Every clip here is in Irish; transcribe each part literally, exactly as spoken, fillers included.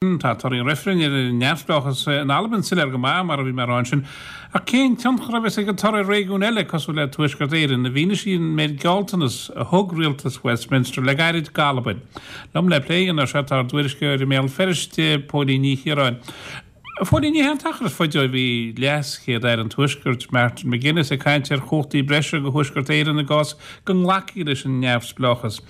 Tá torthaí an reifrinn ar an neamhspleáchas in Albain soiléir go maith, mar a bhí mé a rá ansin. Ach cén tionchar a bheas ag an toradh ar réigiúin eile cosúil le Tuaisceart Éireann, i bhfianaise an méid gealltanas a thug rialtas Westminster le gairid d'Albain? Liom le plé a dhéanamh air seo tá ár dtuairisceoir i mBéal Feirste, Póilín Ní Chiaráin. A Phóilín, ní hé an t-achar is faide ó bhí Leas-Chéad-Aire an Tuaiscirt, Martin McGuinness, ag caint ar chumhachtaí breise do Thuaisceart Éireann i gcás go nglacfaí leis an neamhspleáchas.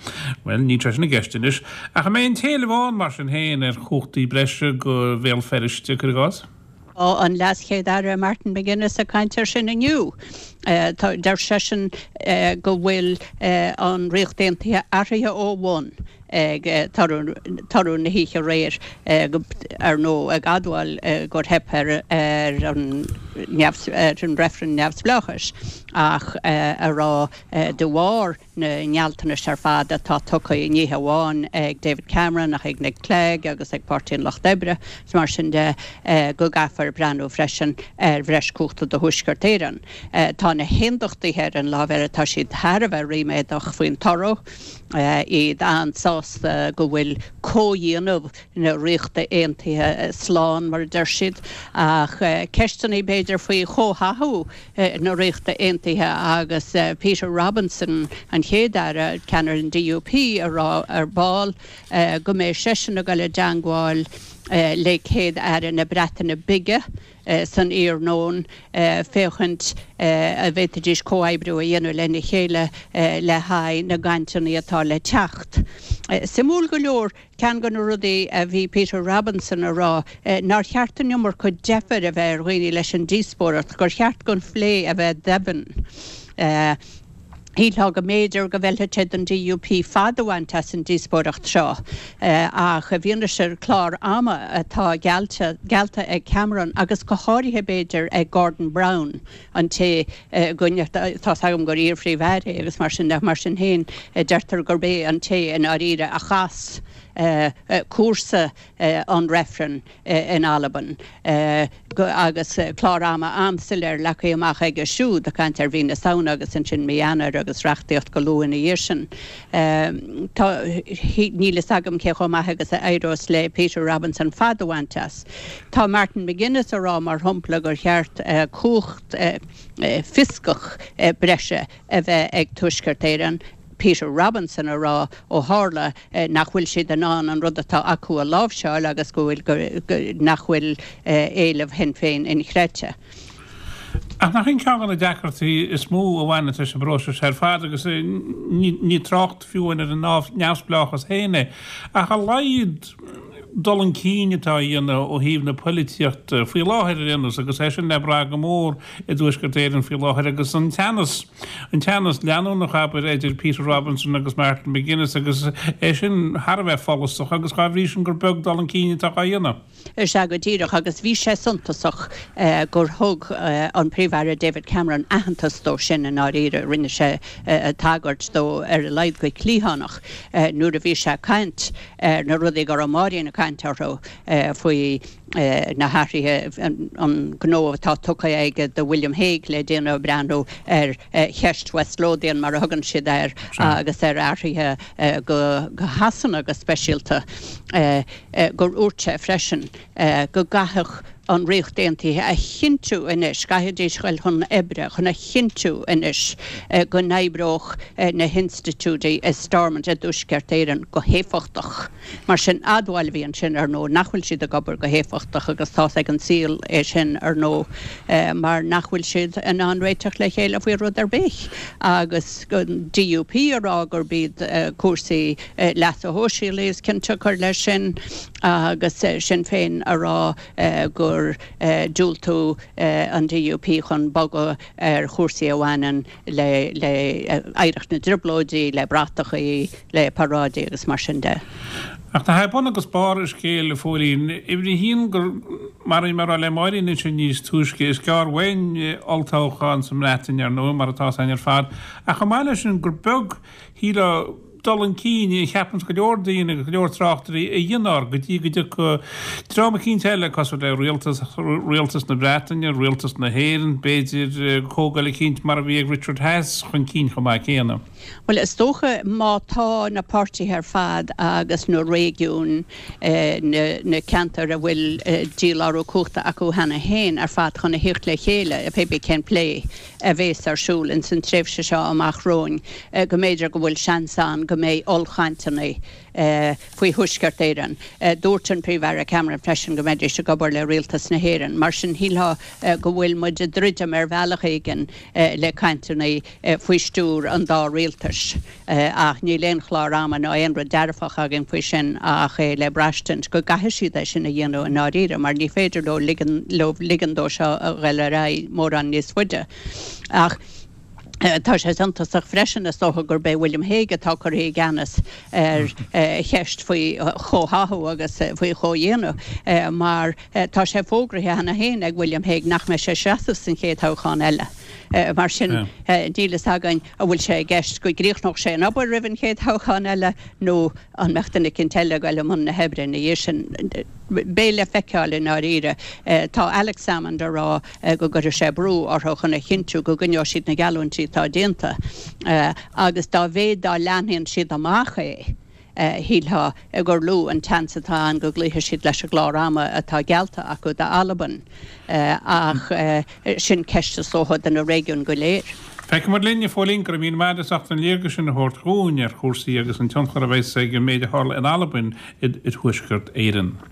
Bhuel, níl sé sin i gceist anois. Ach an mbeidh an t-éileamh ann, mar sin féin, ar chumhachtaí breise do Bhéal Feirste, cuir i gcás? Tá an Leas-Chéad-Aire Martin McGuinness ag caint air sin inniu. Deir seisean go bhfuil an Ríocht Aontaithe athraithe ó bhun ag toradh na hoíche aréir, ar ndóigh, ag admháil gur theip ar an reifreann neamhspleáchais ach a rá de bharr na ngealltanais ar fad atá tugtha, ní hamháin ag David Cameron ach ag Nick Clegg agus ag Páirtí an Lucht Oibre is mar sin de, go gcaithfear breathnú freisin ar bhreis cumhachta do Thuaisceart Éireann. Tá na hAondachtaithe ar an lámh eile, tá siad thar a bheith ríméadach faoin toradh. iad an-sásta go bhfuil comhdhéanamh na Ríochta Aontaithe slán, mar a deir siad, ach ceisteanna, b'fhéidir, faoi chomhtháthú na Ríochta Aontaithe agus Peter Robinson, an Chéad-Aire, ceannaire an D U P, a rá ar ball go mbeidh seisean ag dul i dteangmháil le Céad-Aire na Breataine Bige san iarnóin féachaint an bhféadfaidís comhoibriú a dhéanamh lena chéile le haghaidh na gcainteanna atá le teacht. Suimiúil go leor, ceann de na rudaí a bhí Peter Robinson a rá nár cheart an iomarca deifir a bheith ar dhaoine leis an díospóireacht, gur cheart don phlé a bheith doimhin. Shílfeá go mb'fhéidir go bhfeilfeadh sé don D U P fad a bhaint as an díospóireacht seo ach i bhfianaise an clár ama atá geallta ag Cameron agus go háirithe b'fhéidir ag Gordon Brown, an té go tá's agam gur iar-phríomh-aire é agus mar sin de, mar sin féin deirtear gurb é an té i ndáiríre a chas cúrsa an reifrinn in Albain agus clár ama an-soiléir leagtha amach aige siúd, ag caint ar mhí na Samhna agus ansin mí Eanáir agus reachtaíocht go luath ina dhiaidh sin. Tá, níl fhios agam cé chomh maith agus a éireos le Peter Robinson fad a bhaint as. Tá Martin McGuinness a rá mar shampla gur cheart cumhacht fioscach breise a bheith ag Tuaisceart Éireann, Peter Robinson a rá ó tharla nach bhfuil siad in ann an rud atá acu a láimhseáil agus go bhfuil nach bhfuil éileamh Shinn Féin inchreidte. Ach nach in ceann de na deacrachtaí is mó a bhaineann leis an bpróiseas ar fad, agus ní trácht fiú ar an neamhspleáchas féin é, ach a laghad dul chun cinn atá á dhéanamh ó thaobh na poilitíochta faoi láthair ar aon nós, agus é sin le brath go mór i dTuaisceart Éireann faoi láthair agus an teannas, an teannas leanúnach, abair, idir Peter Robinson agus Martin McGuinness agus é sin thar a bheith follasach agus dá bhrí sin gur beag dul chun cinn atá á dhéanamh. Is ea go díreach, agus bhí sé suntasach gur thug an Príomh-Aire David Cameron aitheantas dó sin i ndáiríre, rinne sé tagairt dó ar a laghad go cliathánach nuair a bhí sé ag caint ar na rudaí go raibh Máirín ag caint orthu faoi na hathruithe, an gnó atá tugtha aige do William Hague le déanamh, ag breathnú ar cheist West Lothian mar a thugann siad air agus ar athruithe go Shasana go speisialta, gur dhúirt sé freisin go gcaithfeadh an Ríocht Aontaithe a chinntiú anois, gcaithfidís dul chun oibre chun a chinntiú anois go n-oibreodh na hinstitiúidí i Stormont i dTuaisceart Éireann go héifeachtach. Mar sin, admháil a bhí ansin, ar ndóigh, nach bhfuil siad ag obair go héifeachtach agus tá's ag an saol é sin, ar ndóigh, mar nach bhfuil siad in ann réiteach le chéile faoi rud ar bith agus an D U P a rá gurb iad cúrsaí leasa shóisialaigh is cionsiocair leis sin agus Sinn Féin a rá gur diúltú an D U P chun bogadh ar chúrsaí a bhaineann le hoidhreacht na dTrioblóidí, le bratachaí, le paráidí agus mar sin de. Ach nach é bun agus barr an scéil, a Phóilín, uimhir a haon gur, mar a bhí mé a rá le Máirín ansin níos túisce, is gearr uainn olltoghchán sa mBreatain, ar ndóigh, mar atá 's againn ar fad, ach chomh maith leis sin gur beag, shílfeá, dul chun cinn a cheapann go leor daoine agus go leor tráchtairí a dhéanamh go dtí go dtiocfaidh dream eicínt eile cosúil le rialtas rialtas na Breataine, rialtas na hÉireann, b'fhéidir comhdháil eicínt mar a bhí ag Richard Haass chun cinn chomh maith céanna. Bhuel is dócha má tá na páirtithe ar fad agus na réigiúin, na ceantair a bhfuil dílárú cumhachta acu cheana féin ar fad chun a thíocht le chéile, pé bith cén plé a bhéas ar siúl ins an tréimhse seo amach romhainn, go mb'fhéidir go bhfuil seans ann go mbeidh ollchainteanna faoi Thuaisceart Éireann. Dúirt an Príomh-Aire Cameron freisin go mbeidís ag obair le Rialtas na hÉireann. Mar sin shílfeá go bhfuil muid ag druidim ar bhealach éigin le cainteanna faoi stiúir an dá rialtais. Ach níl aon chlár ama ná aon rud dearfach againn faoi sin ach é le braistint go gcaithfidh siad é sin a dhéanamh i ndáiríre mar ní féidir leo ligean leo ligean dó seo a ghoil ar aghaidh mórán níos faide. Ach tá sé suntasach freisin is dócha gurb é William Hague atá curtha i gceannas ar cheist faoi chomhtháthú agus faoi chomhdhéanamh mar tá sé fógraithe cheana féin ag William Hague nach mbeidh sé ag seasamh san chéad toghchán eile. Mar sin níl fhios againn an bhfuil sé i gceist go gcríochnódh sé an obair roimh an chéad thoghchán eile nó an mbeadh duine eicínt eile ag goil i mbun na hoibre ina dhiaidh sin. Beidh le feiceáil i ndáiríre. Tá Alex Salmond ag rá go gcuirfidh sé brú orthu chun a chinntiú go gcoinneoidh siad na geallúintí atá déanta agus dá mhéad dá leathnaíonn siad amach é, shílfeá gur lú an tseans atá ann go gcloífidh siad leis an gclár ama atá geallta acu d'Albain. Ach sin ceist is dócha do na réigiúin go léir. Feicfidh muid linn, a Phóilín, go raibh míle maith agat as ucht an léargas sin a thabhairt dhúinn ar chúrsaí agus an tionchar a bheas ag an méid a tharla in Albain i dTuaisceart Éireann.